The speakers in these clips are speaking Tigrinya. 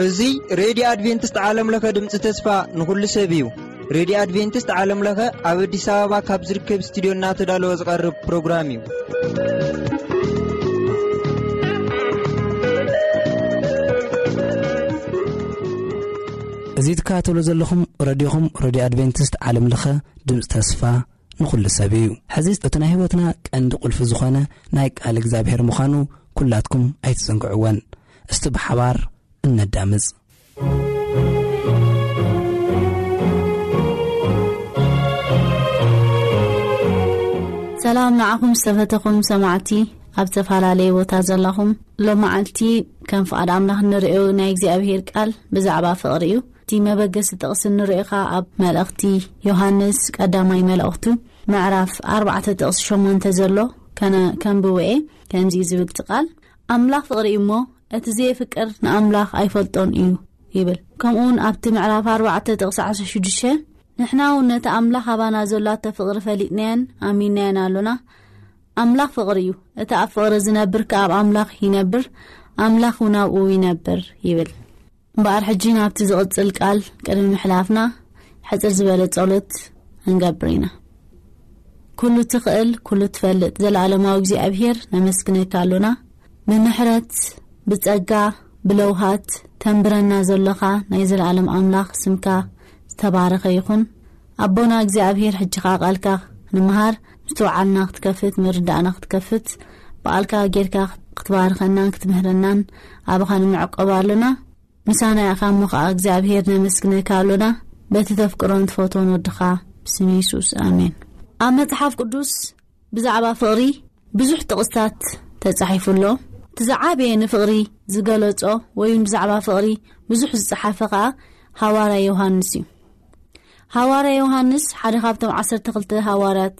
እዚ ሬድዮ ኣድቬንቲስት ዓለም ለኸ ድምፂ ተስፋ ንኹሉ ሰብ እዩ። ሬድዮ ኣድቬንቲስት ዓለም ለኸ ኣብ ኣዲስ ኣበባ ካብ ዝርከብ ስቱዲዮ እናተዳለወ ዝቐርብ ፕሮግራም እዩ። እዚ ትከታተሉ ዘለኹም ረድዮኹም፣ ረድዮ ኣድቬንቲስት ዓለም ለኸ ድምፂ ተስፋ ንኹሉ ሰብ እዩ። ሕዚ እቲ ናይ ህይወትና ቀንዲ ቁልፊ ዝኾነ ናይ ቃል እግዚኣብሔር ምዃኑ ኩላትኩም ኣይትዘንግዕወን። እስቲ ብሓባር እነዳምፅ። ሰላም ንዓኹም ዝተፈተኹም ሰማዕቲ፣ ኣብ ዝተፈላለየ ቦታ ዘለኹም። ሎመዓልቲ ከም ፍቓድ ኣምላኽ እንርእዮ ናይ እግዚኣብሔር ቃል ብዛዕባ ፍቕሪ እዩ። እቲ መበገሲ ጥቕሲ እንርእዮ ኸኣ ኣብ መልእኽቲ ዮሃንስ ቀዳማይ መልእኽቱ ምዕራፍ ኣርባዕተ ጥቕሲ ሸሞንተ ዘሎ ከነ-፣ ከንብቦ እየ። ከምዚ እዩ ዝብል እቲ ቃል፣ "ኣምላኽ ፍቕሪ እዩ እሞ፣ እቲ ዘየፍቅር ንኣምላኽ ኣይፈልጦን እዩ" ይብል። ከምኡ እውን ኣብቲ ምዕራፍ ኣርባዕተ ጥቕሲ ዓሰርተ ሽዱሽተ፣ "ንሕና እውን ነቲ ኣምላኽ ኣባና ዘላቶ ፍቕሪ ፈሊጥናዮን ኣሚንናዮን ኣሎና። ኣምላኽ ፍቕሪ እዩ። እቲ ኣብ ፍቕሪ ዝነብር ከኣ ኣብ ኣምላኽ ይነብር፣ ኣምላኽ እውን ኣብኡ ይነብር" ይብል። እምበኣር ሕጂ ናብቲ ዝቕጽል ቃል ቅድሚ ምሕላፍና፣ ሕጽር ዝበለ ጸሎት ክንገብር ኢና። ኩሉ ትኽእል፣ ኩሉ ትፈልጥ ዘለኣለማዊ እግዚኣብሔር ነመስግነካ ኣሎና። ብምሕረት፣ ብጸጋ፣ ብለውሃት ተንብረና ዘሎኻ ናይ ዘለኣለም ኣምላኽ ስምካ ዝተባረኸ ይኹን። ኣቦና እግዚኣብሔር፣ ሕጂ ኸኣ ቃልካ ንምሃር ምስትውዓልና ክትከፍት፣ ምርዳእና ክትከፍት፣ ብቓልካ ጌርካ ክትባርኸናን ክትምህረናን ኣባኻ ንምዕቆብ ኣሎና። ምሳና ኢኻ እሞ ኸዓ እግዚኣብሔር ነመስግነካ ኣሎና፣ በቲ ተፍቅሮን ትፈትዎን ወድኻ ብስም የሱስ፣ ኣሜን። ኣብ መጽሓፍ ቅዱስ ብዛዕባ ፍቕሪ ብዙሕ ጥቕስታት ተጻሒፉ ኣሎ። እቲ ዝዓበየ ንፍቕሪ ዝገለጾ ወይ እውን ብዛዕባ ፍቕሪ ብዙሕ ዝጸሓፈ ኸዓ ሃዋርያ ዮሃንስ እዩ። ሃዋርያ ዮሃንስ ሓደ ካብቶም ዓሰርተ ክልተ ሃዋርያት፣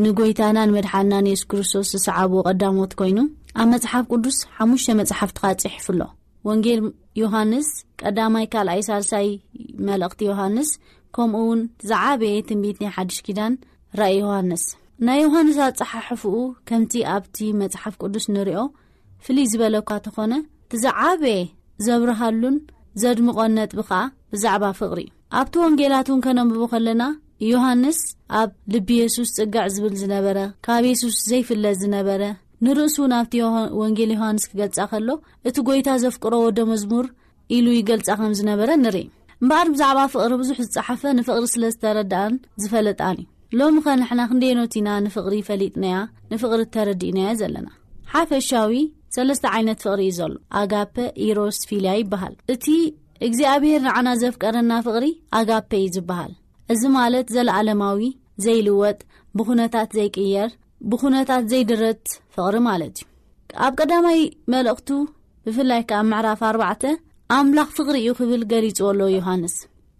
ንጎይታና ንመድሓንና ንየሱስ ክርስቶስ ዝሰዓብዎ ቀዳሞት ኮይኑ፣ ኣብ መጽሓፍ ቅዱስ ሓሙሽተ መጽሓፍቲ ኸዓ ጽሒፉ ኣሎ። ወንጌል ዮሃንስ፣ ቀዳማይ፣ ካልኣይ፣ ሳልሳይ መልእኽቲ ዮሃንስ፣ ከምኡ እውን ዝዓበየ ትንቢት ናይ ሓድሽ ኪዳን ራእይ ዮሃንስ። ናይ ዮሃንስ ኣጸሓሕፍኡ ከምቲ ኣብቲ መጽሓፍ ቅዱስ ንሪኦ ፍልይ ዝበለ እኳ ተኾነ፣ እቲ ዝዓበየ ዘብርሃሉን ዘድምቖን ነጥቢ ኸኣ ብዛዕባ ፍቕሪ እዩ። ኣብቲ ወንጌላት እውን ከነንብቦ ከለና፣ ዮሃንስ ኣብ ልቢ የሱስ ጽግዕ ዝብል ዝነበረ፣ ካብ የሱስ ዘይፍለ ዝነበረ፣ ንርእሱ እውን ኣብቲ ዮሃ-፣ ወንጌል ዮሃንስ ክገልጻ ከሎ፣ እቲ ጐይታ ዘፍቅሮ ወደ መዝሙር ኢሉ ይገልጻ ከም ዝነበረ ንርኢ። እምበኣር ብዛዕባ ፍቕሪ ብዙሕ ዝጸሓፈ ንፍቕሪ ስለ ዝተረድኣን ዝፈለጣን እዩ። ሎሚ ኸ ንሕና ክንደየኖት ኢና ንፍቕሪ ፈሊጥናያ፣ ንፍቕሪ ተረዲእናያ ዘለና? ሓፈሻዊ ሰለስተ ዓይነት ፍቕሪ እዩ ዘሎ። ኣጋፐ፣ ኢሮስ፣ ፊልያ ይበሃል። እቲ እግዚኣብሔር ንዓና ዘፍቀረና ፍቕሪ ኣጋፔ እዩ ዝበሃል። እዚ ማለት ዘለኣለማዊ፣ ዘይልወጥ፣ ብኹነታት ዘይቅየር፣ ብኹነታት ዘይድረት ፍቕሪ ማለት እዩ። ኣብ ቀዳማይ መልእኽቱ፣ ብፍላይ ከኣ ምዕራፍ ኣርባዕተ፣ ኣምላኽ ፍቕሪ እዩ ክብል ገሊጽዎ ኣሎ ዮሃንስ።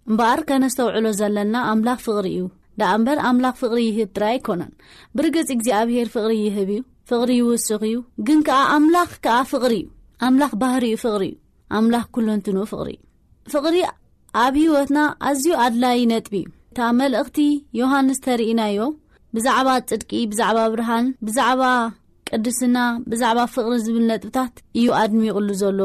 እምበኣር ከነስተውዕሎ ዘለና ኣምላኽ ፍቕሪ እዩ። ደኣ እምበር ኣምላኽ ፍቕሪ ይህብ ጥራይ ኣይኮነን። ብርግጽ እግዚኣብሔር ፍቕሪ ይህብ እዩ፣ ፍቕሪ ይውስኽ እዩ። ግን ከኣ ኣምላኽ ከኣ ፍቕሪ እዩ። ኣምላኽ ባህሪኡ ፍቕሪ እዩ። ኣምላኽ ኩለንትንኡ ፍቕሪ እዩ። ፍቕሪ ኣብ ህይወትና ኣዝዩ ኣድላዪ ነጥቢ እዩ። እታ መልእኽቲ ዮሃንስ ተርኢናዮ ብዛዕባ ጽድቂ፣ ብዛዕባ ብርሃን፣ ብዛዕባ ቅድስና፣ ብዛዕባ ፍቕሪ ዝብል ነጥብታት እዩ ኣድሚቑሉ ዘሎ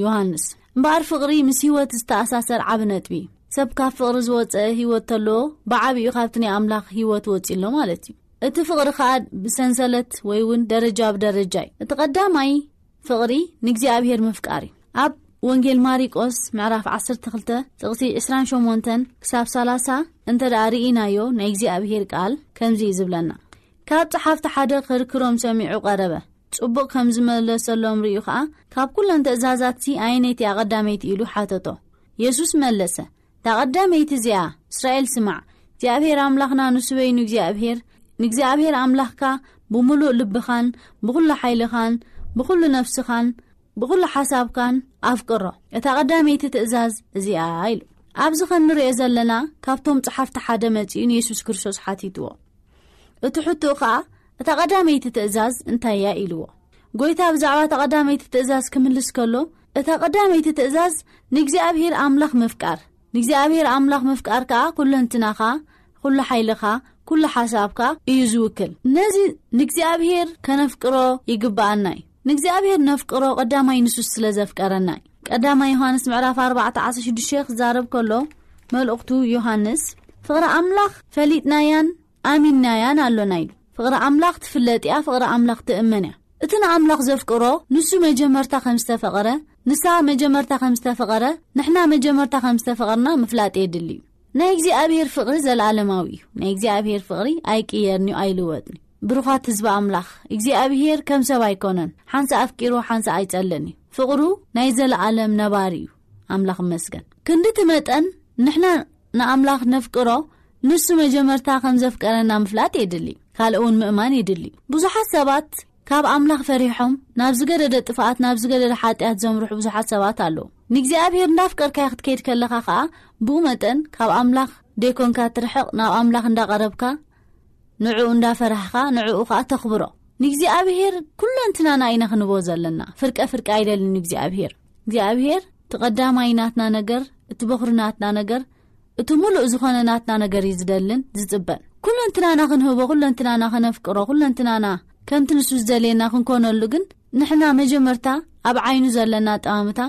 ዮሃንስ። እምበኣር ፍቕሪ ምስ ህይወት ዝተኣሳሰር ዓቢ ነጥቢ እዩ። ሰብ ካብ ፍቕሪ ዝወጸ ህይወት ተለዎ፣ ብዓቢኡ ካብቲ ናይ ኣምላኽ ህይወት ወጺኡ ኣሎ ማለት እዩ። እቲ ፍቕሪ ኸኣ ብሰንሰለት ወይ እውን ደረጃ ብደረጃ እዩ። እቲ ቀዳማይ ፍቕሪ ንእግዚኣብሔር ምፍቃር እዩ። ኣብ ወንጌል ማሪቆስ ምዕራፍ ዓሰርተ ክልተ ጥቕሲ ዕስራን ሸሞንተን ክሳብ ሰላሳ እንተ ደኣ ርኢናዮ፣ ናይ እግዚኣብሔር ቃል ከምዚ እዩ ዝብለና። ካብ ጸሓፍቲ ሓደ ክርክሮም ሰሚዑ ቀረበ። ጽቡቕ ከም ዝመለሰሎም ርእዩ ኸኣ፣ "ካብ ኩለን ትእዛዛትሲ ኣየነይቲ እያ ቀዳመይቲ?" ኢሉ ሓተቶ። የሱስ መለሰ፣ "እታ ቀዳመይቲ እዚኣ፣ እስራኤል ስማዕ፣ እግዚኣብሔር ኣምላኽና ንሱ በይኑ እግዚኣብሔር፣ ንእግዚኣብሔር ኣምላኽካ ብምሉእ ልብኻን ብኹሉ ሓይልኻን ብኹሉ ነፍስኻን ብኹሉ ሓሳብካን ኣፍቅሮ። እታ ቀዳመይቲ ትእዛዝ እዚኣ" ኢሉ። ኣብዚ ከም ንርእዮ ዘለና፣ ካብቶም ጸሓፍቲ ሓደ መጺኡ ንየሱስ ክርስቶስ ሓቲትዎ። እቲ ሕቶኡ ኸኣ፣ "እታ ቀዳመይቲ ትእዛዝ እንታይ እያ?" ኢልዎ። ጐይታ ብዛዕባ እታ ቀዳመይቲ ትእዛዝ ክምልስ ከሎ፣ "እታ ቀዳመይቲ ትእዛዝ ንእግዚኣብሔር ኣምላኽ ምፍቃር፣ ንእግዚኣብሔር ኣምላኽ ምፍቃር ከኣ ኩለንትናኻ፣ ኩሉ ሓይልኻ፣ ኩሉ ሓሳብካ እዩ ዝውክል። ነዚ ንእግዚኣብሔር ከነፍቅሮ ይግብኣና እዩ። ንእግዚኣብሔር ነፍቅሮ ቀዳማይ ንሱ ስለ ዘፍቀረና እዩ። ቀዳማይ ዮሃንስ ምዕራፍ ኣርባዕተ ዓሰርተ ሽዱሽተ ክዛረብ ከሎ፣ መልእኽቱ ዮሃንስ፣ "ፍቕሪ ኣምላኽ ፈሊጥናያን ኣሚንናያን ኣሎና" ኢሉ። ፍቕሪ ኣምላኽ ትፍለጥ እያ፣ ፍቕሪ ኣምላኽ ትእመን እያ። እቲ ንኣምላኽ ዘፍቅሮ ንሱ መጀመርታ ከም ዝተፈቐረ፣ ንሳ መጀመርታ ከም ዝተፈቐረ፣ ንሕና መጀመርታ ከም ዝተፈቐርና ምፍላጥ የድሊ እዩ። ናይ እግዚኣብሔር ፍቕሪ ዘለኣለማዊ እዩ። ናይ እግዚኣብሔር ፍቕሪ ኣይቅየርን እዩ፣ ኣይልወጥን እዩ። ብሩኻት ህዝቢ ኣምላኽ፣ እግዚኣብሔር ከም ሰብ ኣይኮነን። ሓንሳ ኣፍቂሩ ሓንሳ ኣይጸልን እዩ። ፍቕሩ ናይ ዘለኣለም ነባሪ እዩ። ኣምላኽ ይመስገን። ክንድቲ መጠን ንሕና ንኣምላኽ ነፍቅሮ፣ ንሱ መጀመርታ ከም ዘፍቀረና ምፍላጥ የድሊ። ካልእ እውን ምእማን የድሊ። ብዙሓት ሰባት ካብ ኣምላኽ ፈሪሖም ናብ ዝገደደ ጥፍኣት፣ ናብ ዝገደደ ሓጢኣት ዘምርሑ ብዙሓት ሰባት ኣለዉ። ንእግዚኣብሔር እንዳፍቀርካዮ ክትከይድ ከለኻ ኸኣ፣ ብኡ መጠን ካብ ኣምላኽ ደይኮንካ ትርሕቕ፣ ናብ ኣምላኽ እንዳቐረብካ፣ ንዕኡ እንዳፈራህኻ፣ ንዕኡ ኸኣ ተኽብሮ። ንእግዚኣብሔር ኩለንትናና ኢና ክንቦ ዘለና። ፍርቀ ፍርቀ ኣይደልን እግዚኣብሔር። እግዚኣብሔር እቲ ቀዳማይ ናትና ነገር፣ እቲ በኹሪ ናትና ነገር፣ እቲ ሙሉእ ዝኾነ ናትና ነገር እዩ ዝደልን ዝጽበን። ኩለንትናና ክንህቦ፣ ኩለንትናና ከነፍቅሮ፣ ኩለንትናና ከምቲ ንሱ ዝደልየና ክንኮነሉ ግን፣ ንሕና መጀመርታ ኣብ ዓይኑ ዘለና ኣጠማምታ፣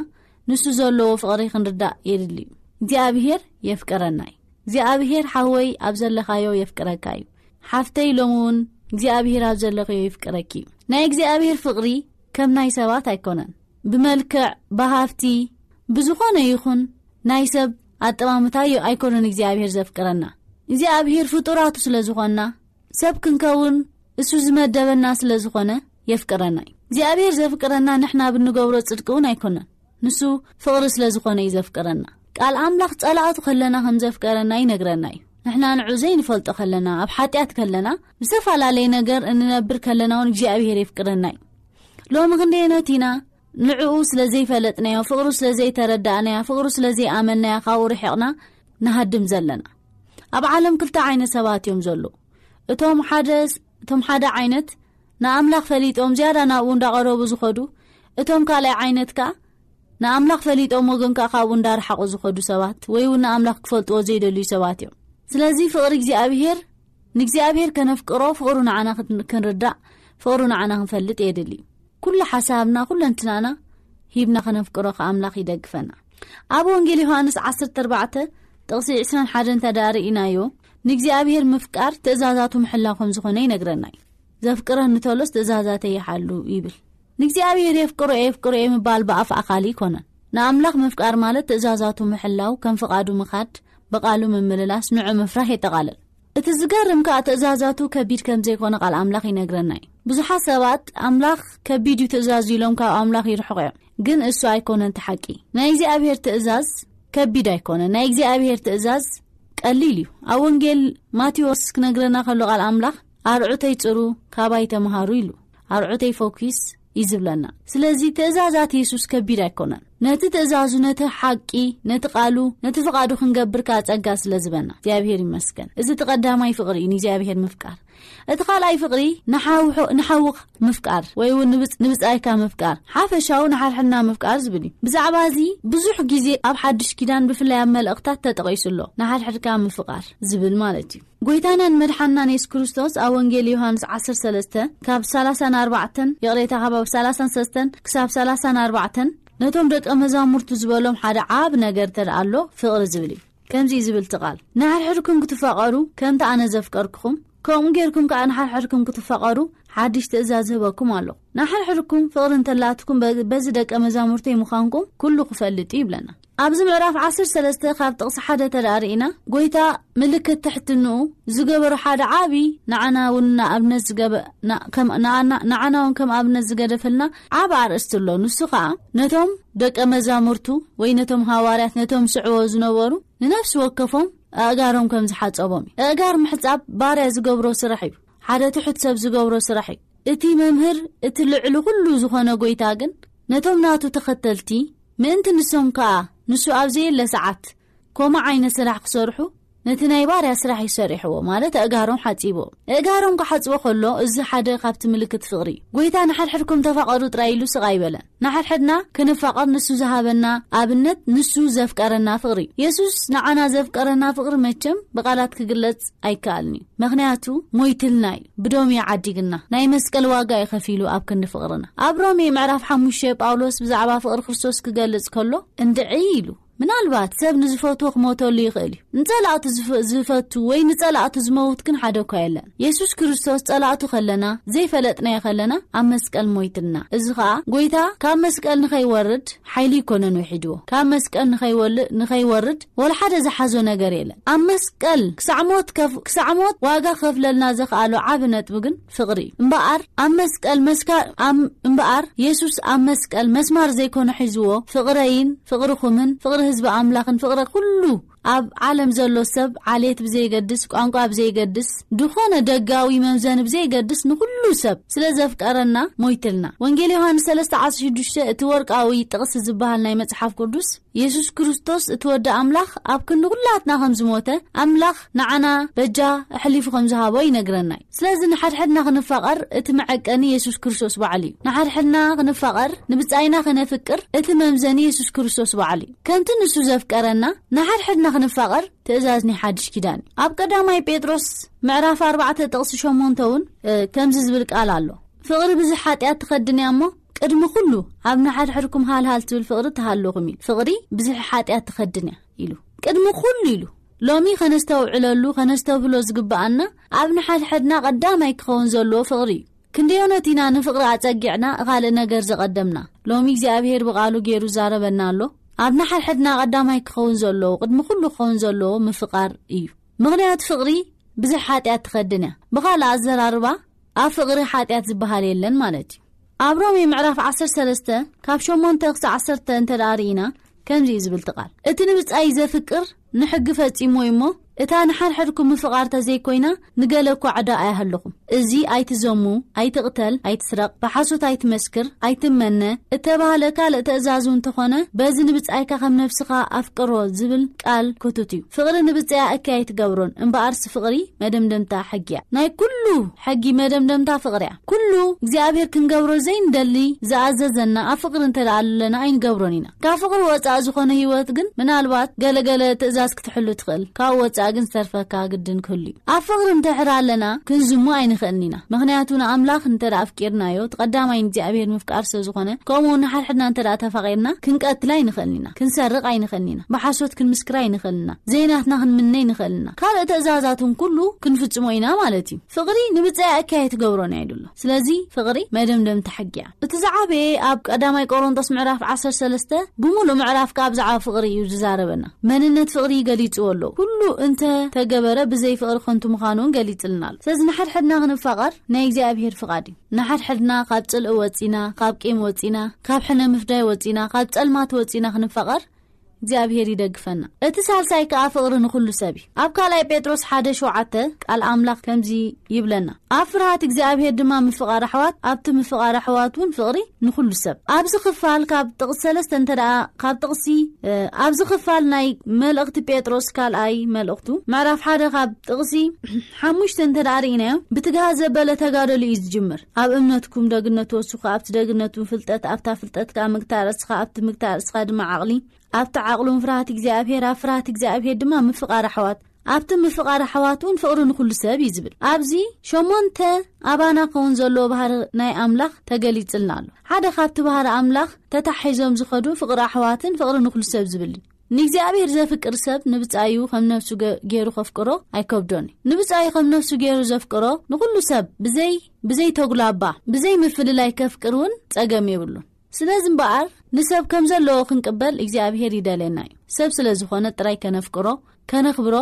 ንሱ ዘለዎ ፍቕሪ ክንርዳእ የድሊ እዩ። እግዚኣብሔር የፍቅረና እዩ። እግዚኣብሔር ሓወይ ኣብ ዘለኻዮ የፍቅረካ እዩ። ሓፍተይ ሎሚ እውን እግዚኣብሔር ኣብ ዘለኽዮ ይፍቅረኪ እዩ። ናይ እግዚኣብሔር ፍቕሪ ከም ናይ ሰባት ኣይኮነን። ብመልክዕ፣ ብሃፍቲ፣ ብዝኾነ ይኹን ናይ ሰብ ኣጠማምታ ዩ-፣ ኣይኮነን እግዚኣብሔር ዘፍቅረና። እግዚኣብሔር ፍጡራቱ ስለ ዝኾንና፣ ሰብ ክንከውን እሱ ዝመደበና ስለ ዝኾነ የፍቅረና እዩ። እግዚኣብሔር ዘፍቅረና ንሕና ብንገብሮ ጽድቂ እውን ኣይኮነን። ንሱ ፍቕሪ ስለ ዝኾነ እዩ ዘፍቅረና። ቃል ኣምላኽ ጸላእቱ ከለና ከም ዘፍቀረና ይነግረና እዩ። ንሕና ንዑ ዘይንፈልጦ ከለና፣ ኣብ ሓጢኣት ከለና፣ ብዝተፈላለየ ነገር እንነብር ከለና እውን እግዚኣብሔር የፍቅረና እዩ። ሎሚ ክንደየኖት ኢና ንዕኡ ስለ ዘይፈለጥናዮ፣ ፍቕሩ ስለ ዘይተረዳእናዮ፣ ፍቕሩ ስለ ዘይኣመንናዮ ካብኡ ርሒቕና ንሃድም ዘለና። ኣብ ዓለም ክልተ ዓይነት ሰባት እዮም ዘለዉ። እቶም ሓደ፣ እቶም ሓደ ዓይነት ንኣምላኽ ፈሊጦም ዝያዳ ናብኡ እንዳቐረቡ ዝኸዱ፣ እቶም ካልኣይ ዓይነት ከኣ ንኣምላኽ ፈሊጦም ግን ከኣ ካብኡ እንዳረሓቑ ዝኸዱ ሰባት፣ ወይ እውን ንኣምላኽ ክፈልጥዎ ዘይደልዩ ሰባት እዮም። ስለዚ ፍቕሪ እግዚኣብሔር፣ ንእግዚኣብሔር ከነፍቅሮ፣ ፍቕሩ ንዓና ክን-፣ ክንርዳእ፣ ፍቕሩ ንዓና ክንፈልጥ የድሊ። ኩሉ ሓሳብና፣ ኩለንትናና ሂብና ከነፍቅሮ ከኣ ኣምላኽ ይደግፈና። ኣብ ወንጌል ዮሃንስ ዓሰርተ ኣርባዕተ ጥቕሲ ዕስራን ሓደን እንተ ደኣ ርኢናዮ፣ ንእግዚኣብሔር ምፍቃር ትእዛዛቱ ምሕላው ከም ዝኾነ ይነግረና እዩ። "ዘፍቅረኒ እንተሎስ ትእዛዛተይ ይሓሉ" ይብል። ንእግዚኣብሔር የፍቅሮ የፍቅሮ ምባል ብኣፍ ኣኻሊ ኣይኮነን። ንኣምላኽ ምፍቃር ማለት ትእዛዛቱ ምሕላው፣ ከም ፍቓዱ ምኻድ፣ ብቓሉ ምምልላስ፣ ንዑ ምፍራህ የጠቓልል። እቲ ዝገርም ከኣ ትእዛዛቱ ከቢድ ከም ዘይኮነ ቃል ኣምላኽ ይነግረና እዩ። ብዙሓት ሰባት ኣምላኽ ከቢድ እዩ ትእዛዙ ኢሎም ካብ ኣምላኽ ይርሕቑ እዮም። ግን እሱ ኣይኮነን እቲ ሓቂ። ናይ እግዚኣብሔር ትእዛዝ ከቢድ ኣይኮነን። ናይ እግዚኣብሔር ትእዛዝ ቀሊል እዩ። ኣብ ወንጌል ማቴዎስ ክነግረና ከሎ ቃል ኣምላኽ፣ "ኣርዑተይ ጽሩ፣ ካባይ ተምሃሩ" ኢሉ። "ኣርዑተይ ፈኲስ" እዩ ዝብለና። ስለዚ ትእዛዛት የሱስ ከቢድ ኣይኮነን። ነቲ ትእዛዙ፣ ነቲ ሓቂ፣ ነቲ ቃሉ፣ ነቲ ፍቓዱ ክንገብር ከኣ ጸጋ ስለ ዝበና እግዚኣብሔር ይመስገን። እዚ እቲ ቀዳማይ ፍቕሪ እዩ፣ ንእግዚኣብሔር ምፍቃር። እቲ ካልኣይ ፍቕሪ ንሓውሑ-፣ ንሓውኽ ምፍቃር ወይ እውን ንብጽ-፣ ንብጻይካ ምፍቃር፣ ሓፈሻዊ ንሓድሕድና ምፍቃር ዝብል እዩ። ብዛዕባ እዚ ብዙሕ ግዜ ኣብ ሓድሽ ኪዳን ብፍላይ ኣብ መልእኽታት ተጠቒሱ ኣሎ። ንሓድሕድካ ምፍቃር ዝብል ማለት እዩ። ጎይታናን መድሓንናን የሱስ ክርስቶስ ኣብ ወንጌል ዮሃንስ ዓሰርተ ሰለስተ ካብ ሰላሳን ኣርባዕተን፣ ይቕሬታ፣ ካብ ሰላሳን ሰለስተን ክሳብ ሰላሳን ኣርባዕተን ነቶም ደቀ መዛሙርቱ ዝበሎም ሓደ ዓቢ ነገር እንተ ደኣ ኣሎ ፍቕሪ ዝብል እዩ። ከምዚ እዩ ዝብል እቲ ቃል፣ "ንሓድሕድኩም ክትፋቐሩ ከምቲ ኣነ ዘፍቀርኩኹም፣ ከምኡ ጌርኩም ከኣ ንሓድሕድኩም ክትፋቐሩ ሓድሽ ትእዛዝ ዝህበኩም ኣለኹ። ንሓድሕድኩም ፍቕሪ እንተላትኩም በ-፣ በዚ ደቀ መዛሙርተይ ምዃንኩም ኩሉ ክፈልጥ እዩ" ይብለና። ኣብዚ ምዕራፍ ዓሰርተ ሰለስተ ካብ ጥቕሲ ሓደ እንተ ደኣ ርኢና፣ ጎይታ ምልክት ትሕትንኡ ዝገበሩ ሓደ ዓቢ ንዓና እውን ንኣብነት ዝገበ-፣ ና-፣ ከም፣ ንኣና-፣ ንዓና እውን ከም ኣብነት ዝገደፈልና ዓቢ ኣርእስቲ ኣሎ። ንሱ ኸኣ ነቶም ደቀ መዛሙርቱ ወይ ነቶም ሃዋርያት፣ ነቶም ስዕዎ ዝነበሩ ንነፍሲ ወከፎም ኣእጋሮም ከም ዝሓጸቦም እዩ። ኣእጋር ምሕጻብ ባርያ ዝገብሮ ስራሕ እዩ። ሓደ ትሑት ሰብ ዝገብሮ ስራሕ እዩ። እቲ መምህር፣ እቲ ልዕሊ ኩሉ ዝኾነ ጎይታ ግን ነቶም ናቱ ተኸተልቲ ምእንቲ ንሶም ከኣ ንሱ ኣብ ዘየለ ሰዓት ከምኡ ዓይነት ስራሕ ክሰርሑ ነቲ ናይ ባርያ ስራሕ እዩ ሰሪሕዎ፣ ማለት ኣእጋሮም ሓጺቦ። ኣእጋሮም ክሓጽቦ ከሎ፣ እዚ ሓደ ካብቲ ምልክት ፍቕሪ እዩ። ጎይታ ንሓድሕድኩም ተፋቐሩ ጥራይ ኢሉ ስቕ ኣይበለን። ንሓድሕድና ክንፋቐር ንሱ ዝሃበና ኣብነት፣ ንሱ ዘፍቀረና ፍቕሪ እዩ። የሱስ ንዓና ዘፍቀረና ፍቕሪ መቸም ብቓላት ክግለጽ ኣይከኣልን እዩ። ምኽንያቱ ሞይትልና እዩ፣ ብደሙ እዩ ዓዲግና። ናይ መስቀል ዋጋ እዩ ከፊሉ ኣብ ክንዲ ፍቕርና። ኣብ ሮሜ ምዕራፍ ሓሙሽተ ጳውሎስ ብዛዕባ ፍቕሪ ክርስቶስ ክገልጽ ከሎ፣ እንድዒ ኢሉ፣ ምናልባት ሰብ ንዝፈትዎ ክሞተሉ ይኽእል እዩ። ንጸላእቱ ዝፈ-፣ ዝፈቱ ወይ ንጸላእቱ ዝመውት ግን ሓደ እኳ የለን። የሱስ ክርስቶስ ጸላእቱ ከለና፣ ዘይፈለጥናዮ ከለና፣ ኣብ መስቀል ሞይትልና። እዚ ኸኣ ጎይታ ካብ መስቀል ንኸይወርድ ሓይሊ ይኮነን ውሒድዎ። ካብ መስቀል ንኸይወል-፣ ንኸይወርድ ወላ ሓደ ዝሓዞ ነገር የለን። ኣብ መስቀል ክሳዕ ሞት ከፍ-፣ ክሳዕ ሞት ዋጋ ከፍለልና ዘኽኣሎ ዓቢ ነጥቢ ግን ፍቕሪ እዩ። እምበኣር ኣብ መስቀል መስካ-፣ ኣም-፣ እምበኣር የሱስ ኣብ መስቀል መስማር ዘይኮነ ሒዝዎ፣ ፍቕረይን ፍቕርኹምን ፍቕሪ ህዝቢ ኣምላኽን ፍቕሪ ኩሉ ኣብ ዓለም ዘሎ ሰብ፣ ዓሌት ብዘይገድስ፣ ቋንቋ ብዘይገድስ፣ ዝኾነ ደጋዊ መምዘኒ ብዘይገድስ፣ ንኹሉ ሰብ ስለ ዘፍቀረና ሞይትልና። ወንጌል ዮሃንስ ሰለስተ ዓሰርተ ሽዱሽተ እቲ ወርቃዊ ጥቕሲ ዝበሃል ናይ መጽሓፍ ቅዱስ፣ የሱስ ክርስቶስ እቲ ወዲ ኣምላኽ ኣብ ክንዲ ኩላትና ከም ዝሞተ፣ ኣምላኽ ንዓና በጃ ኣሕሊፉ ከም ዝሃቦ ይነግረና እዩ። ስለዚ ንሓድሕድና ክንፋቐር እቲ መዐቀኒ የሱስ ክርስቶስ ባዕሉ እዩ። ንሓድሕድና ክንፋቐር፣ ንብጻይና ከነፍቅር እቲ መምዘኒ የሱስ ክርስቶስ ባዕሉ እዩ። ከምቲ ንሱ ዘፍቀረና ንሓድሕድና ክንፋቐር ትእዛዝ ናይ ሓድሽ ኪዳን እዩ። ኣብ ቀዳማይ ጴጥሮስ ምዕራፍ ኣርባዕተ ጥቕሲ ሸሞንተ እውን፣ እ፣ ከምዚ ዝብል ቃል ኣሎ። "ፍቕሪ ብዙሕ ሓጢኣት ትኸድን እያ እሞ፣ ቅድሚ ኩሉ ኣብ ንሓድሕድኩም ሃልሃል ትብል ፍቕሪ ትሃልኹም" ኢሉ። ፍቕሪ ብዙሕ ሓጢኣት ትኸድን እያ ኢሉ። ቅድሚ ኩሉ ኢሉ። ሎሚ ከነስተውዕለሉ፣ ከነስተብህሎ ዝግብኣና ኣብ ንሓድሕድና ቀዳማይ ክኸውን ዘለዎ ፍቕሪ እዩ። ክንደዮነት ኢና ንፍቕሪ ኣጸጊዕና ካልእ ነገር ዘቐደምና? ሎሚ እግዚኣብሔር ብቓሉ ገይሩ ዛረበና ኣሎ። ኣብ ንሓድሕድና ቀዳማይ ክኸውን ዘለዎ፣ ቅድሚ ኩሉ ክኸውን ዘለዎ ምፍቓር እዩ። ምኽንያቱ ፍቕሪ ብዙሕ ሓጢኣት ትኸድን እያ። ብኻልእ ኣዘራርባ፣ ኣብ ፍቕሪ ሓጢኣት ዝበሃል የለን ማለት እዩ። ኣብ ሮሜ ምዕራፍ ዓሰርተ ሰለስተ ካብ ሸሞንተ ክሳዕ ዓሰርተ እንተ ደኣ ርኢና፣ ከምዚ እዩ ዝብል እቲ ቃል። እቲ ንብጻይ ዘፍቅር ንሕጊ ፈጺሙ እዩ እሞ፣ እታ ንሓድሕድኩም ምፍቓር ተዘይኮይና፣ ንገለ እኳ ዕዳ ኣይሃለኹም። እዚ ኣይትዘሙ፣ ኣይትቕተል፣ ኣይትስረቕ፣ ብሓሶት ኣይትመስክር፣ ኣይትመነ፣ እተባህለ ካልእ ትእዛዝ እውን እንተኾነ፣ በዚ ንብጻይካ ከም ነፍስኻ ኣፍቅሮ ዝብል ቃል ክቱት እዩ። ፍቕሪ ንብጻያ እከይ ኣይትገብሮን፣ እምበኣርሲ ፍቕሪ መደምደምታ ሕጊ እያ። ናይ ኩሉ ሕጊ መደምደምታ ፍቕሪ እያ። ኩሉ እግዚኣብሔር ክንገብሮ ዘይንደሊ ዝኣዘዘና ኣብ ፍቕሪ እንተ ደኣ ኣለና ኣይንገብሮን ኢና። ካብ ፍቕሪ ወጻእ ዝኾነ ህይወት ግን ምናልባት ገለገለ ትእዛዝ ክትሕሉ ትኽእል። ካብ ወጻእ ግን ዝተርፈካ ግድን ክህሉ እዩ። ኣብ ፍቕሪ እንድሕር ኣለና ክንዝሙ ኣይንኽእልን ኢና። ምኽንያቱ ንኣምላኽ እንተ ደኣ ኣፍቂርናዮ፣ እቲ ቀዳማይ ንእግዚኣብሔር ምፍቃር ስለ ዝኾነ፣ ከምኡ እውን ንሓድሕድና እንተ ደኣ ተፋቒርና፣ ክንቀትል ኣይንኽእልን ኢና። ክንሰርቕ ኣይንኽእልን ኢና። ብሓሶት ክንምስክር ኣይንኽእልን ኢና። ዘይናትና ክንምነ ኣይንኽእልን ኢና። ካልእ ትእዛዛት እውን ኩሉ ክንፍጽሞ ኢና ማለት እዩ። ፍቕሪ ንብጻያ እከይ ኣይትገብሮን እያ ኢሉ ኣሎ። ስለዚ ፍቕሪ መደምደምታ ሕጊ እያ። እቲ ዝዓበየ ኣብ ቀዳማይ ቆሮንቶስ ምዕራፍ ዓሰርተ ሰለስተ ብምሉእ ምዕራፍ ከኣ ብዛዕባ ፍቕሪ እዩ ዝዛረበና። መንነት ፍቕሪ ገሊጽዎ ኣሎ። ኩሉ እንተ ተገበረ ብዘይ ፍቕሪ ከንቱ ምዃኑ እውን ገሊጽልና ኣሎ። ስለዚ ንሓድሕድና ክንፋቐር ናይ እግዚኣብሔር ፍቓድ እዩ። ንሓድሕድና ካብ ጽልኢ ወጺና፣ ካብ ቂም ወጺና፣ ካብ ሕነ ምፍዳይ ወጺና፣ ካብ ጸልማት ወጺና ክንፋቐር እግዚኣብሔር ይደግፈና። እቲ ሳልሳይ ከኣ ፍቕሪ ንኹሉ ሰብ እዩ። ኣብ ካልኣይ ጴጥሮስ ሓደ ሸውዓተ ቃል ኣምላኽ ከምዚ ይብለና፣ "ኣብ ፍርሃት እግዚኣብሔር ድማ ምፍቓር ኣሕዋት፣ ኣብቲ ምፍቓር ኣሕዋት እውን ፍቕሪ ንኹሉ ሰብ።" ኣብዚ ክፋል ካብ ጥቕሲ ሰለስተ እንተ ደኣ፣ ካብ ጥቕሲ፣ እ፣ ኣብዚ ክፋል ናይ መልእኽቲ ጴጥሮስ ካልኣይ መልእኽቱ ምዕራፍ ሓደ ካብ ጥቕሲ ሓሙሽተ እንተ ደኣ ርኢናዮ፣ ብትግሃት ዘበለ ተጋደሉ እዩ ዝጅምር። ኣብ እምነትኩም ደግነት ትወስኹ፣ ኣብቲ ደግነትኩም ፍልጠት፣ ኣብታ ፍልጠት ከኣ ምግታእ ርእስኻ፣ ኣብቲ ምግታእ ርእስኻ ድማ ዓቕሊ፣ ኣብቲ ዓቕሉን ፍርሃት እግዚኣብሔር፣ ኣብ ፍርሃት እግዚኣብሔር ድማ ምፍቓር ኣሕዋት፣ ኣብቲ ምፍቓር ኣሕዋት እውን ፍቕሪ ንኹሉ ሰብ እዩ ዝብል። ኣብዚ ሸሞንተ ኣባና ክኸውን ዘለዎ ባህሪ ናይ ኣምላኽ ተገሊጽልና ኣሎ። ሓደ ካብቲ ባህሪ ኣምላኽ ተታሒዞም ዝኸዱ ፍቕሪ ኣሕዋትን ፍቕሪ ንኹሉ ሰብ ዝብል እዩ። ንእግዚኣብሔር ዘፍቅር ሰብ ንብጻዩ ከም ነፍሱ ገ-፣ ገይሩ ከፍቅሮ ኣይከብዶን እዩ። ንብጻዩ ከም ነፍሱ ገይሩ ዘፍቅሮ ንኹሉ ሰብ ብዘይ-፣ ብዘይ ተጉላባ፣ ብዘይ ምፍልላይ ከፍቅር እውን ጸገም የብሉን። ስለዚ እምበኣር ንሰብ ከም ዘለዎ ክንቅበል እግዚኣብሔር ይደልየና እዩ። ሰብ ስለ ዝኾነ ጥራይ ከነፍቅሮ፣ ከነኽብሮ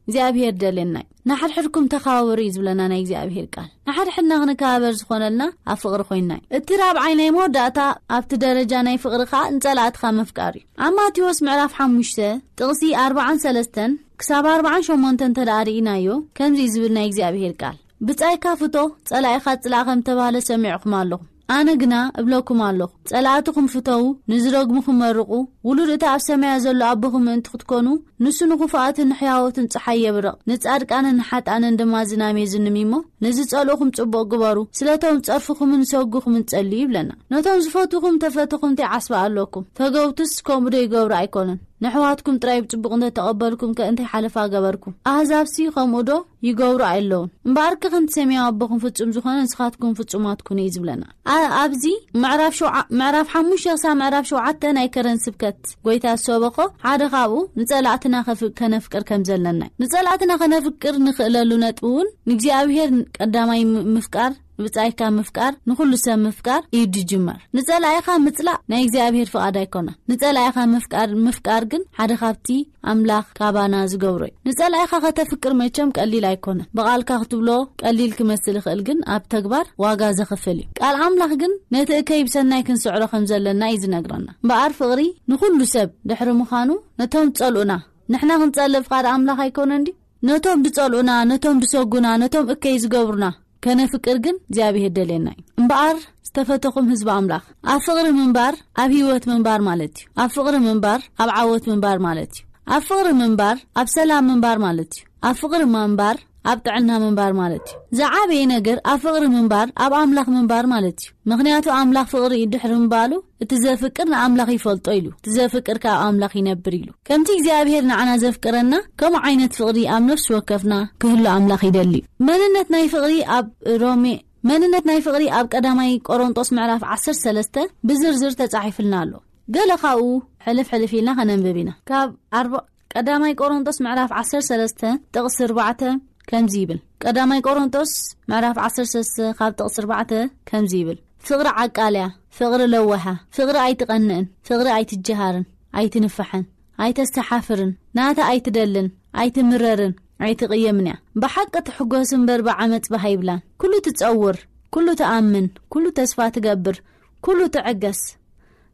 እግዚኣብሔር ይደልየና እዩ። "ንሓድሕድኩም ተኻባበሩ" እዩ ዝብለና ናይ እግዚኣብሔር ቃል። ንሓድሕድና ክንከባበር ዝኾነልና ኣብ ፍቕሪ ኮይንና እዩ። እቲ ራብዓይ ናይ መወዳእታ ኣብቲ ደረጃ ናይ ፍቕሪ ከኣ ንጸላእትኻ ምፍቃር እዩ። ኣብ ማቴዎስ ምዕራፍ ሓሙሽተ ጥቕሲ ኣርብዓን ሰለስተን ክሳብ ኣርብዓን ሸሞንተን እንተ ደኣ ርኢናዮ፣ ከምዚ እዩ ዝብል ናይ እግዚኣብሔር ቃል፣ "ብጻይካ ፍቶ፣ ጸላኢኻ ጽላእ" ከም ተባህለ ሰሚዕኩም ኣለኹም። ኣነ ግና እብለኩም ኣለኹ፣ ጸላእትኹም ፍተዉ፣ ንዝረግሙኹም መርቑ፣ ውሉድ እቲ ኣብ ሰማያት ዘሎ ኣቦኹም ምእንቲ ክትኮኑ፣ ንሱ ንኽፉኣትን ንሕያዎትን ጸሓይ የብርቕ፣ ንጻድቃንን ንሓጣንን ድማ ዝናም የዝንም እሞ፣ ነዚ ጸልኡኹም ጽቡቕ ግበሩ፣ ስለቶም ጸርፍኹምን ሰጉኹምን ጸልዩ ይብለና። ነቶም ዝፈትኹም ተፈትኹም እንታይ ዓስባ ኣለኩም? ተገውትስ ከምኡ ዶ ይገብሩ ኣይኮኑን? ንሕዋትኩም ጥራይ ብጽቡቕ እንተ ተቐበልኩም ከ እንታይ ሓለፋ ገበርኩም? ኣህዛብሲ ከምኡ ዶ ይገብሩ ኣይለውን? እምበኣርከ ከምቲ ሰማያዊ ኣቦኹም ፍጹም ዝኾነ ንስኻትኩም ፍጹማት ኩኑ እዩ ዝብለና። ኣ-፣ ኣብዚ ምዕራፍ ሸውዓ-፣ ምዕራፍ ሓሙሽተ ክሳብ ምዕራፍ ሸውዓተ ናይ ከረን ስብከት ጎይታ ዝሰበኾ ሓደ ካብኡ ንጸላእትና ከፍ-፣ ከነፍቅር ከም ዘለና እዩ። ንጸላእትና ከነፍቅር ንኽእለሉ ነጥቢ እውን ንእግዚኣብሔር ቀዳማይ ም-፣ ምፍቃር፣ ንብጻይካ ምፍቃር፣ ንኹሉ ሰብ ምፍቃር እዩ ዝጅመር። ንጸላኢኻ ምጽላእ ናይ እግዚኣብሔር ፍቓድ ኣይኮነን። ንጸላኢኻ ምፍቃር፣ ምፍቃር ግን ሓደ ካብቲ ኣምላኽ ካባና ዝገብሮ እዩ። ንጸላኢኻ ከተፍቅር መቸም ቀሊል ኣይኮነን። ብቓልካ ክትብሎ ቀሊል ክመስል ይኽእል፣ ግን ኣብ ተግባር ዋጋ ዘኽፍል እዩ። ቃል ኣምላኽ ግን ነቲ እከይ ብሰናይ ክንስዕሮ ከም ዘለና እዩ ዝነግረና። እምበኣር ፍቕሪ ንኹሉ ሰብ ድሕሪ ምዃኑ፣ ነቶም ጸልኡና ንሕና ክንጸልእ ፍቓድ ኣምላኽ ኣይኮነን ድዩ? ነቶም ዝጸልኡና፣ ነቶም ዝሰጉና፣ ነቶም እከይ ዝገብሩና ከነፍቅር ግን እግዚኣብሔር ደልየና እዩ። እምበኣር ዝተፈተኹም ህዝቢ ኣምላኽ፣ ኣብ ፍቕሪ ምንባር ኣብ ህይወት ምንባር ማለት እዩ። ኣብ ፍቕሪ ምንባር ኣብ ዓወት ምንባር ማለት እዩ። ኣብ ፍቕሪ ምንባር ኣብ ሰላም ምንባር ማለት እዩ። ኣብ ፍቕሪ ምንባር ኣብ ጥዕና ምንባር ማለት እዩ። ዝዓበየ ነገር ኣብ ፍቕሪ ምንባር ኣብ ኣምላኽ ምንባር ማለት እዩ። ምኽንያቱ ኣምላኽ ፍቕሪ እዩ፣ ድሕሪ ምባሉ እቲ ዘፍቅር ንኣምላኽ ይፈልጦ ኢሉ፣ እቲ ዘፍቅር ከኣ ኣብ ኣምላኽ ይነብር ኢሉ። ከምቲ እግዚኣብሔር ንዓና ዘፍቅረና፣ ከምኡ ዓይነት ፍቕሪ ኣብ ነፍሲ ወከፍና ክህሉ ኣምላኽ ይደሊ እዩ። መንነት ናይ ፍቕሪ ኣብ ሮሜ፣ መንነት ናይ ፍቕሪ ኣብ ቀዳማይ ቆሮንጦስ ምዕራፍ ዓሰርተ ሰለስተ ብዝርዝር ተጻሒፍልና ኣሎ። ገለ ካብኡ ሕልፍ ሕልፍ ኢልና ከነንብብ ኢና። ካብ ኣርባ-፣ ቀዳማይ ቆሮንጦስ ምዕራፍ ዓሰርተ ሰለስተ ጥቕሲ ኣርባዕተ ከምዚ ይብል። ቀዳማይ ቆሮንጦስ ምዕራፍ ዓሰርተ ሰለስተ ካብ ጥቕሲ ኣርባዕተ ከምዚ ይብል። ፍቕሪ ዓቃልያ፣ ፍቕሪ ለዋሃ፣ ፍቕሪ ኣይትቐንእን፣ ፍቕሪ ኣይትጀሃርን፣ ኣይትንፋሕን፣ ኣይተስተሓፍርን፣ ናታ ኣይትደልን፣ ኣይትምረርን፣ ኣይትቕየምን እያ። ብሓቂ ትሕጎስ እምበር ብዓመጽ ባህ ኣይብላን። ኩሉ ትጸውር፣ ኩሉ ትኣምን፣ ኩሉ ተስፋ ትገብር፣ ኩሉ ትዕገስ፣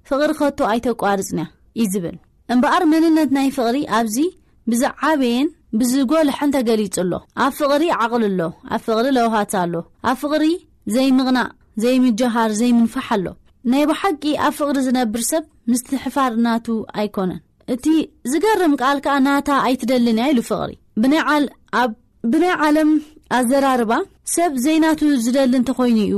ፍቕሪ ከቶ ኣይተቋርጽን እያ እዩ ዝብል። እምበኣር መንነት ናይ ፍቕሪ ኣብዚ ብዝዓበየን ብዝጎልሐን ተገሊጹ ኣሎ። ኣብ ፍቕሪ ዓቕሊ ኣሎ፣ ኣብ ፍቕሪ ለውሃት ኣሎ፣ ኣብ ፍቕሪ ዘይምቕናእ፣ ዘይምጀሃር፣ ዘይምንፋሕ ኣሎ። ናይ ብሓቂ ኣብ ፍቕሪ ዝነብር ሰብ ምስትሕፋር ናቱ ኣይኮነን። እቲ ዝገርም ቃል ከኣ ናታ ኣይትደልን እያ ኢሉ ፍቕሪ። ብናይ ዓል-፣ ኣብ፣ ብናይ ዓለም ኣዘራርባ ሰብ ዘይናቱ ዝደሊ እንተኾይኑ እዩ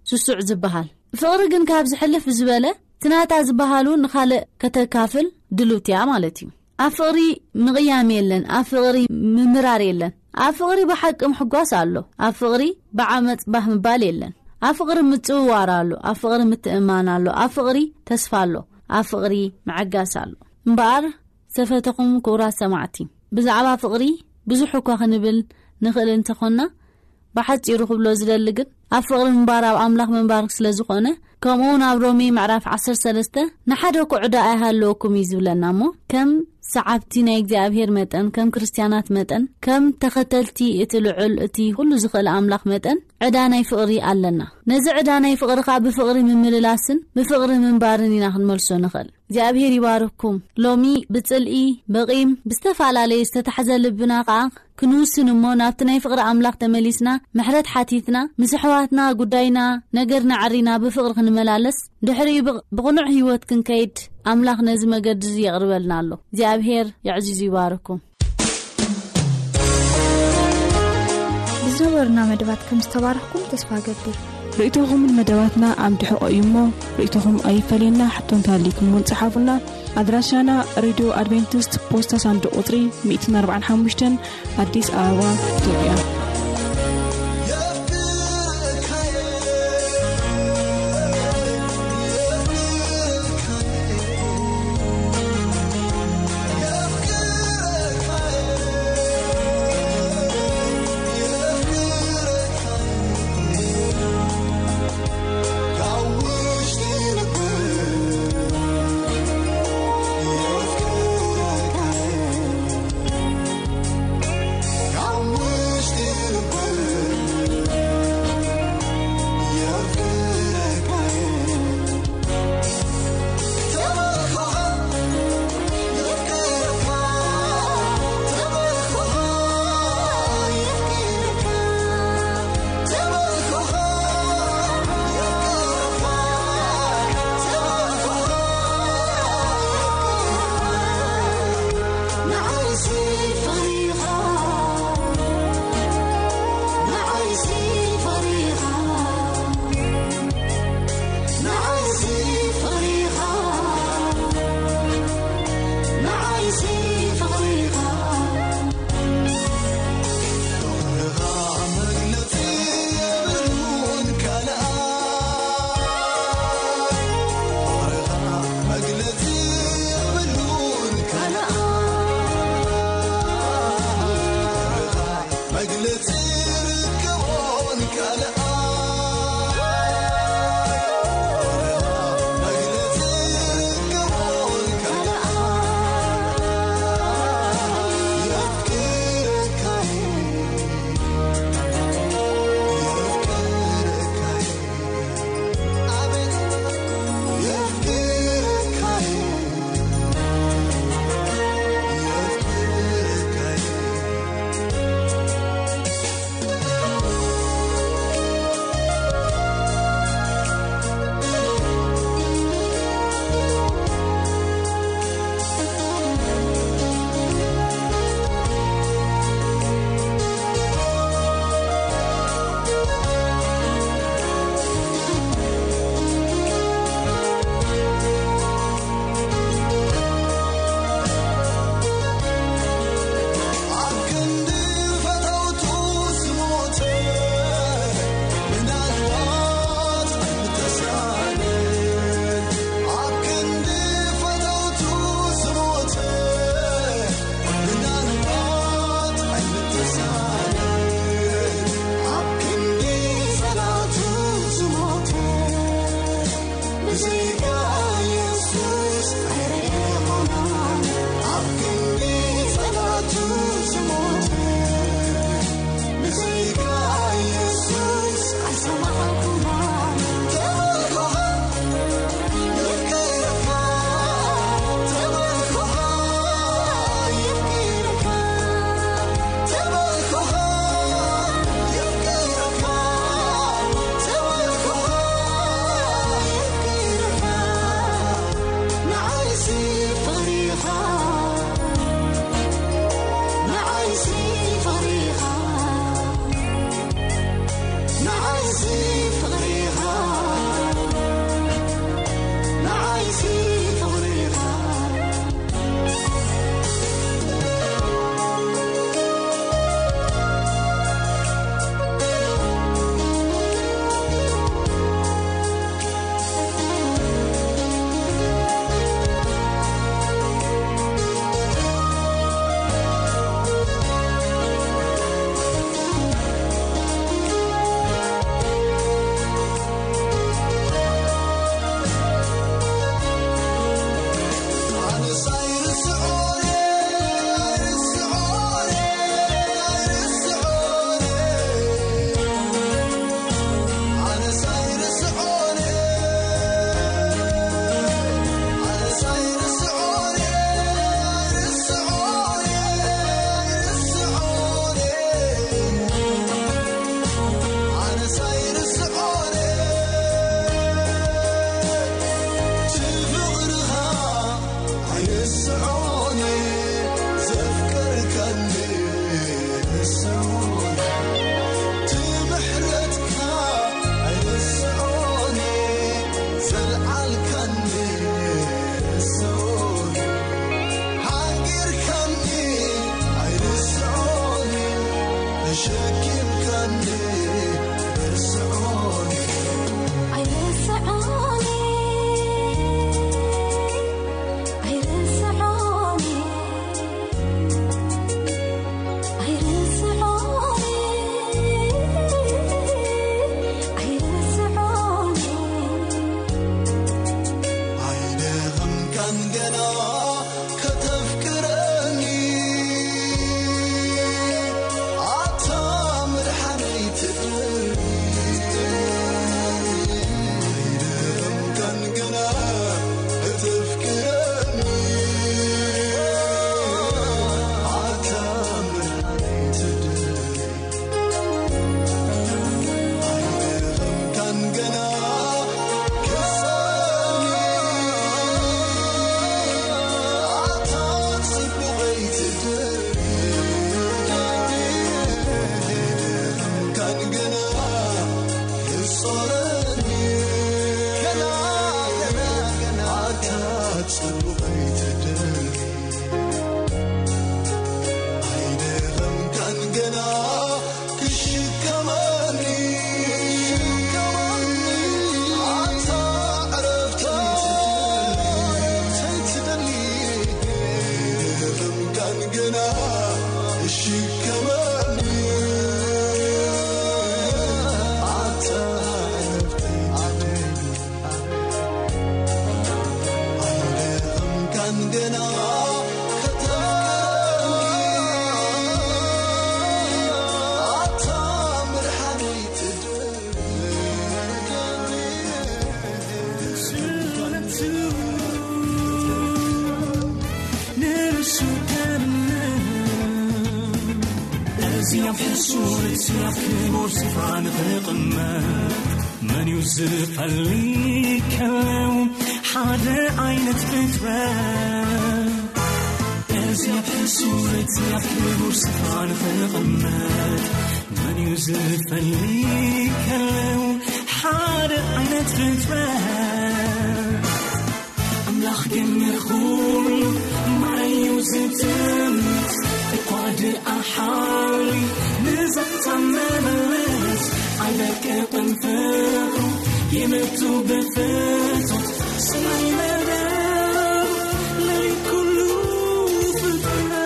ስሱዕ ዝበሃል። ፍቕሪ ግን ካብ ዝሕልፍ ዝበለ እቲ ናታ ዝበሃሉ ንኻልእ ከተካፍል ድልውቲ እያ ማለት እዩ። ኣብ ፍቕሪ ምቕያም የለን፣ ኣብ ፍቕሪ ምምራር የለን። ኣብ ፍቕሪ ብሓቂ ምሕጓስ ኣሎ። ኣብ ፍቕሪ ብዓመጽ ባህ ምባል የለን። ኣብ ፍቕሪ ምጽውዋር ኣሎ፣ ኣብ ፍቕሪ ምትእማን ኣሎ፣ ኣብ ፍቕሪ ተስፋ ኣሎ፣ ኣብ ፍቕሪ ምዕጋስ ኣሎ። እምበኣር ዝተፈተኹም ክቡራት ሰማዕቲ፣ ብዛዕባ ፍቕሪ ብዙሕ እኳ ክንብል ንኽእል እንተኾንና፣ ብሓጺሩ ክብሎ ዝደሊ ግን ኣብ ፍቕሪ ምንባር ኣብ ኣምላኽ ምንባር ስለ ዝኾነ፣ ከምኡ እውን ኣብ ሮሜ ምዕራፍ ዓሰርተ ሰለስተ ንሓደ እኮ ዕዳ ኣይሃለወኩም እዩ ዝብለና እሞ፣ ከም ሰዓብቲ ናይ እግዚኣብሔር መጠን፣ ከም ክርስትያናት መጠን፣ ከም ተኸተልቲ እቲ ልዑል እቲ ኩሉ ዝኽእል ኣምላኽ መጠን ዕዳ ናይ ፍቕሪ ኣለና። ነዚ ዕዳ ናይ ፍቕሪ ኸኣ ብፍቕሪ ምምልላስን ብፍቕሪ ምንባርን ኢና ክንመልሶ ንኽእል። እግዚኣብሔር ይባርኩም። ሎሚ ብጽልኢ፣ ብቂም፣ ብዝተፈላለየ ዝተታሕዘ ልብና ኸኣ ክንውስን እሞ ናብቲ ናይ ፍቕሪ ኣምላኽ ተመሊስና ምሕረት ሓቲትና ምስ ኣሕዋትና ጉዳይና ነገርና ዓሪና ብፍቕሪ ክንመላለስ ድሕሪኡ ብቕ-፣ ብቕኑዕ ህይወት ክንከይድ ኣምላኽ ነዚ መገዲ እዚ የቕርበልና ኣሎ። እግዚኣብሔር የዕዚዙ ይባርኩም። ብዝነበሩና መደባት ከም ዝተባረኽኩም ተስፋ እገብር። ርእይቶኹምን መደባትና ኣብ ድሕቖ እዩ እሞ ርእይቶኹም ኣይፈለየና። ሕቶ እንተሃልይኩም እውን ጸሓፉና። ኣድራሻና ሬድዮ ኣድቬንቲስት ፖስታ ሳንዱቕ ቁጽሪ ሚእትን ኣርባዓን ሓሙሽተን ኣዲስ ኣበባ ኢትዮጵያ። ሱርት ያክቡር ስፍራ ንኽቕመጥ መን እዩ ዝፈሊ ከለው ሓደ ዓይነት ፍጥረት? እዚ ሱርት ያክቡር ስፍራ ንኽቕመጥ መን እዩ ዝፈሊ ከለው ሓደ ዓይነት ፍጥረት? ኣምላኽ ግን ንኹሉ ማይ እዩ ዝጥምት፣ እኳ ድኣ ሓውሊ ንዘተመመለት ኣይደቅቕን ፍቕሩ ይምቱ ብፍቶት ሰማይ መደብ ለሊት ኩሉ ፍጥረት።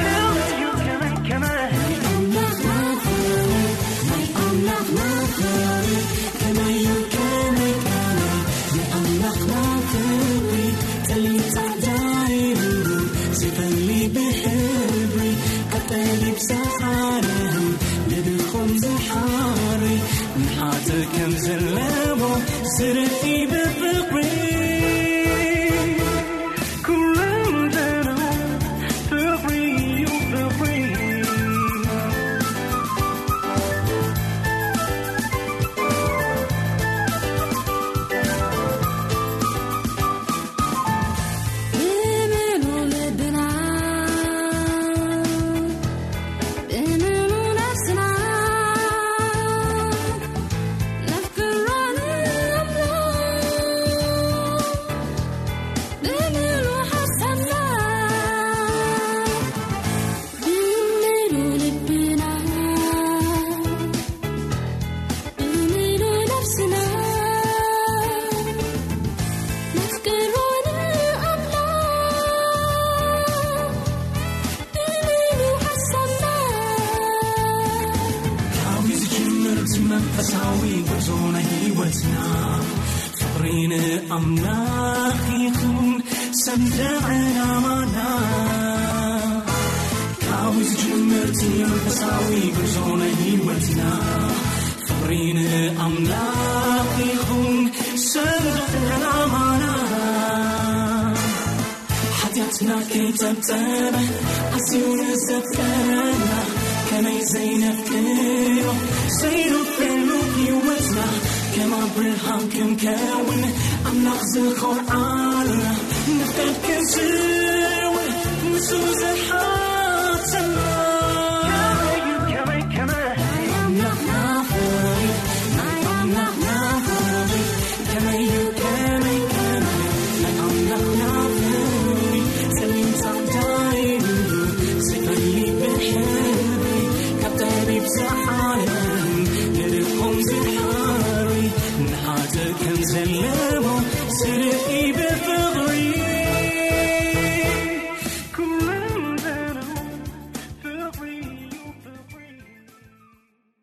ከመይ እዩ ከመይ ከመይ ናይ ኣምላኽና ፍቕሪ፣ ናይ ኣምላኽና ፍቕሪ ከመይ እዩ ከመይ ከመይ ናይ ኣምላኽና ፍቕሪ፣ ጠሊም ጻዕዳ ይብሉ ዘይፈሊ ብሕብሪ፣ ኣብ ጠቢብ ሰዓረም ንድኹም ዝሓሪ፣ ንሓጥእ ከም ዘለዎ ዝርኢ ብፍቕሪ። ኩሎም ዘለው ፍቕሪ እዩ ፍቕሪ። ብምሉ ልብና፣ ብምሉ ነፍስና፣ ነፍቅሮ ንኣምላኽ ብምሉ ሓሳብና፣ ብምሉ ልብና፣ ብምሉ ነፍስና፣ ነፍቅሮ ንኣምላኽ ብምሉ ሓሳብና። ካብ ዝጅምር እቲ መንፈሳዊ ጉዕዞ ናይ ህይወትና፣ ፍቕሪ ንኣምላኽ ይኹን ሰንደቕ ዕላማና። ካብ ዝጅምር እቲ መንፈሳዊ ጉዕዞ ናይ ህይወትና፣ ፍቕሪ ንኣምላኽ ይኹን ሰንደቕ ዕላማና። ሓጢኣትና ከይጸብጸበ ኣዝዩ ንዘፍቀረና፣ ከመይ ዘይነፍቅሮ ዘይነፍቅሮ ህይወትና፣ ከም ኣብርሃም ክንከውን ኣምላኽ ዝኾርዓልና፣ ንፍቃድ ክንስውር ንሱ ዝሓተና።